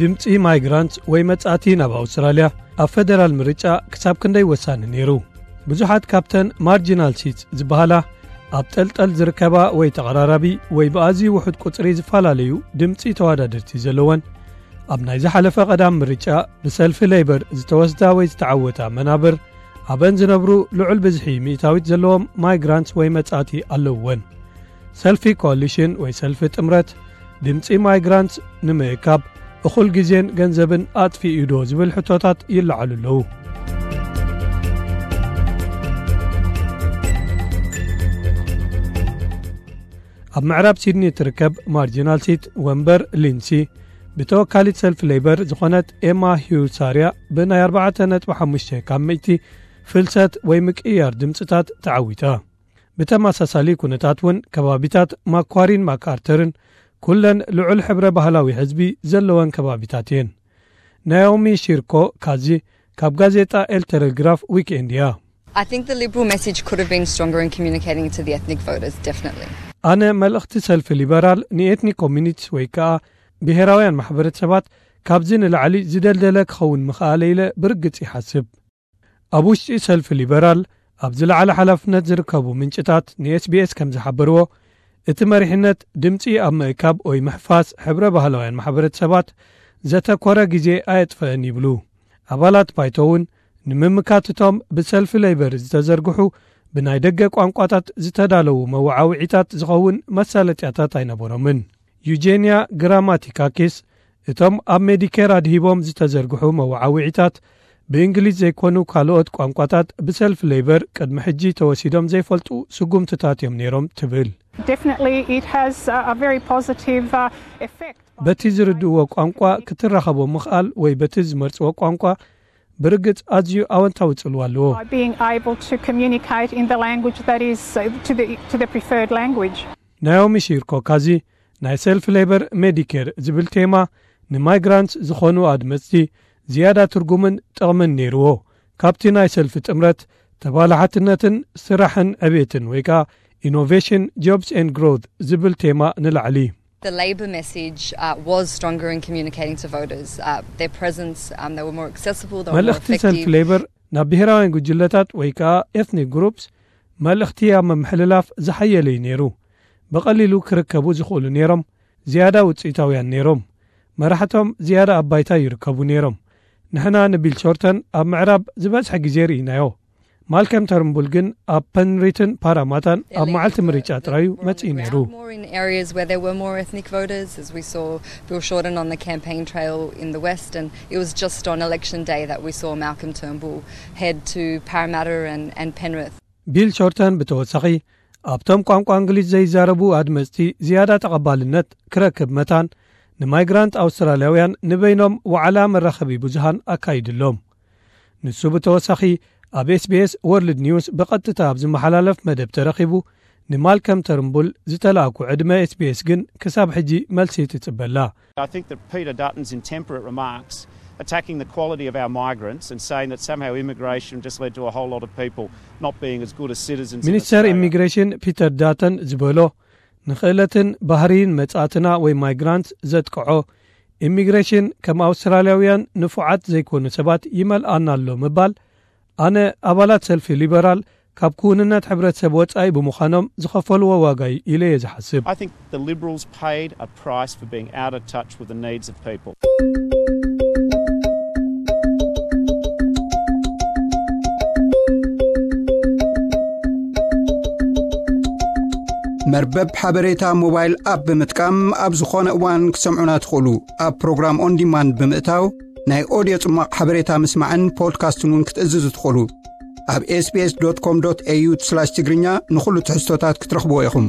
ድምጺ ማይግራንት ወይ መጻእቲ ናብ ኣውስትራልያ ኣብ ፈደራል ምርጫ ክሳብ ክንደይ ወሳኒ ነይሩ? ብዙሓት ካብተን ማርጂናል ሲትስ ዝበሃላ ኣብ ጠልጠል ዝርከባ ወይ ተቐራራቢ ወይ ብኣዝዩ ውሑድ ቁጽሪ ዝፈላለዩ ድምጺ ተወዳደርቲ ዘለወን፣ ኣብ ናይ ዝሓለፈ ቀዳም ምርጫ ብሰልፊ ሌበር ዝተወስዳ ወይ ዝተዓወታ መናብር ኣብን ዝነብሩ ልዑል ብዝሒ ሚእታዊት ዘለዎም ማይግራንት ወይ መጻእቲ ኣለውወን። ሰልፊ ኮሊሽን ወይ ሰልፊ ጥምረት ድምጺ ማይግራንት ንምእካብ እኹል ግዜን ገንዘብን ኣጥፊኡ ዶ ዝብል ሕቶታት ይለዓሉ ኣለዉ። ኣብ ምዕራብ ሲድኒ እትርከብ ማርጂናል ሲት ወንበር ሊንሲ ብተወካሊት ሰልፊ ሌበር ዝኾነት ኤማ ሂውሳርያ ብናይ ኣርባዕተ ነጥቢ ሓሙሽተ ካብ ሚእቲ ፍልሰት ወይ ምቅያር ድምፅታት ተዓዊታ። ብተመሳሳሊ ኩነታት እውን ከባቢታት ማኳሪን ማክኣርተርን ኩለን ልዑል ሕብረ ባህላዊ ህዝቢ ዘለወን ከባቢታት እየን። ናዮሚ ሺርኮ ካዚ ካብ ጋዜጣ ኤል ቴሌግራፍ ዊክኤንድ እያ። I think the Liberal message could have been stronger in communicating to the ethnic voters, definitely. ኣነ መልእኽቲ ሰልፊ ሊበራል ንኤትኒክ ኮሚኒቲስ ወይ ከኣ ብሄራውያን ማሕበረሰባት ካብዚ ንላዕሊ ዝደልደለ ክኸውን ምኽኣለ ኢለ ብርግጽ ይሓስብ። ኣብ ውሽጢ ሰልፊ ሊበራል ኣብ ዝለዓለ ሓላፍነት ዝርከቡ ምንጭታት ንኤስቢኤስ ከም ዝሓበርዎ፣ እቲ መሪሕነት ድምጺ ኣብ ምእካብ ወይ ምሕፋስ ሕብረ ባህላውያን ማሕበረሰባት ዘተኮረ ግዜ ኣየጥፈአን ይብሉ። ኣባላት ባይቶ እውን ንምምካት እቶም ብሰልፊ ሌበር ዝተዘርግሑ ብናይ ደገ ቋንቋታት ዝተዳለዉ መወዓውዒታት ዝኸውን መሳለጥያታት ኣይነበሮምን። ዩጄንያ ግራማቲካኪስ እቶም ኣብ ሜዲኬር ኣድሂቦም ዝተዘርግሑ መወዓውዒታት ብእንግሊዝ ዘይኮኑ ካልኦት ቋንቋታት ብሰልፊ ሌበር ቅድሚ ሕጂ ተወሲዶም ዘይፈልጡ ስጉምትታት እዮም ነይሮም ትብል። Definitely, it has a a very positive uh, effect. በቲ ዝርድእዎ ቋንቋ ክትራኸቦ ምኽኣል ወይ በቲ ዝመርጽዎ ቋንቋ ብርግጽ ኣዝዩ ኣወንታዊ ጽልዋ ኣለዎ። By being able to communicate in the language that is uh, to the to the preferred language. ናዮሚ ሺርኮ ካዚ ናይ ሰልፊ ሌበር ሜዲኬር ዝብል ቴማ ንማይግራንት ዝኾኑ ኣድመጽቲ ዝያዳ ትርጉምን ጥቕምን ነይርዎ። ካብቲ ናይ ሰልፊ ጥምረት ተባላሓትነትን ስራሕን ዕቤትን ወይ ከኣ ኢኖቬሽን ጆብስ ኤንድ ግሮት ዝብል ቴማ ንላዕሊ። The Labor message uh, was stronger in communicating to voters. Uh, their presence, um, they were more accessible, they were more መልእኽቲ ሰልፊ effective. ሌበር ናብ ብሄራውያን ጉጅለታት ወይ ከኣ ኤትኒክ ግሩፕስ መልእኽቲ ኣብ ምምሕልላፍ ዝሓየለ እዩ ነይሩ። ብቐሊሉ ክርከቡ ዝኽእሉ ነይሮም፣ ዝያዳ ውፅኢታውያን ነይሮም። መራሕቶም ዝያዳ ኣብ ባይታ ይርከቡ ነይሮም። ንሕና ንቢል ሾርተን ኣብ ምዕራብ ዝበዝሐ ግዜ ርኢናዮ። ማልከም ተርምቡል ግን ኣብ ፐንሪትን ፓራማታን ኣብ መዓልቲ ምርጫ ጥራዩ መጺኡ ነይሩ። More in areas where there were more ethnic voters, as we saw Bill Shorten on the campaign trail in the west, and it was just on election day that we saw Malcolm Turnbull head to Parramatta and, and Penrith. ቢል ሾርተን ብተወሳኺ ኣብቶም ቋንቋ እንግሊዝ ዘይዛረቡ ኣድመፅቲ ዝያዳ ተቐባልነት ክረክብ መታን ንማይግራንት ኣውስትራልያውያን ንበይኖም ዋዕላ መራኸቢ ብዙሃን ኣካይድሎም። ንሱ ብተወሳኺ ኣብ ኤስቢኤስ ወርልድ ኒውስ ብቐጥታ ኣብ ዝመሓላለፍ መደብ ተረኺቡ ንማልከም ተርምቡል ዝተላእኩ ዕድመ ኤስቢኤስ ግን ክሳብ ሕጂ መልሲ ትጽበላ። I think that Peter Dutton's intemperate remarks attacking the quality of our migrants and saying that somehow immigration just led to a whole lot of people not being as good as citizens. In ሚኒስተር Australia. ኢሚግሬሽን ፒተር ዳተን ዝበሎ ንኽእለትን ባህርይን መጻእትና ወይ ማይግራንት ዘጥቅዖ ኢሚግሬሽን ከም ኣውስትራልያውያን ንፉዓት ዘይኮኑ ሰባት ይመልኣና ኣሎ ምባል ኣነ ኣባላት ሰልፊ ሊበራል ካብ ክውንነት ሕብረተሰብ ወጻኢ ብምዃኖም ዝኸፈልዎ ዋጋ እዩ ኢለ እየ ዝሓስብ። I think the Liberals paid a price for being out of touch with the needs of people. መርበብ ሓበሬታ ሞባይል ኣፕ ብምጥቃም ኣብ ዝኾነ እዋን ክትሰምዑና ትኽእሉ። ኣብ ፕሮግራም ኦን ዲማንድ ብምእታው ናይ ኦድዮ ጽማቕ ሓበሬታ ምስማዕን ፖድካስትን እውን ክትእዝዙ ትኽእሉ። ኣብ ኤስቢኤስ ዶት ኮም ዶት ኤዩ ስላሽ ትግርኛ ንኹሉ ትሕዝቶታት ክትረኽብዎ ኢኹም።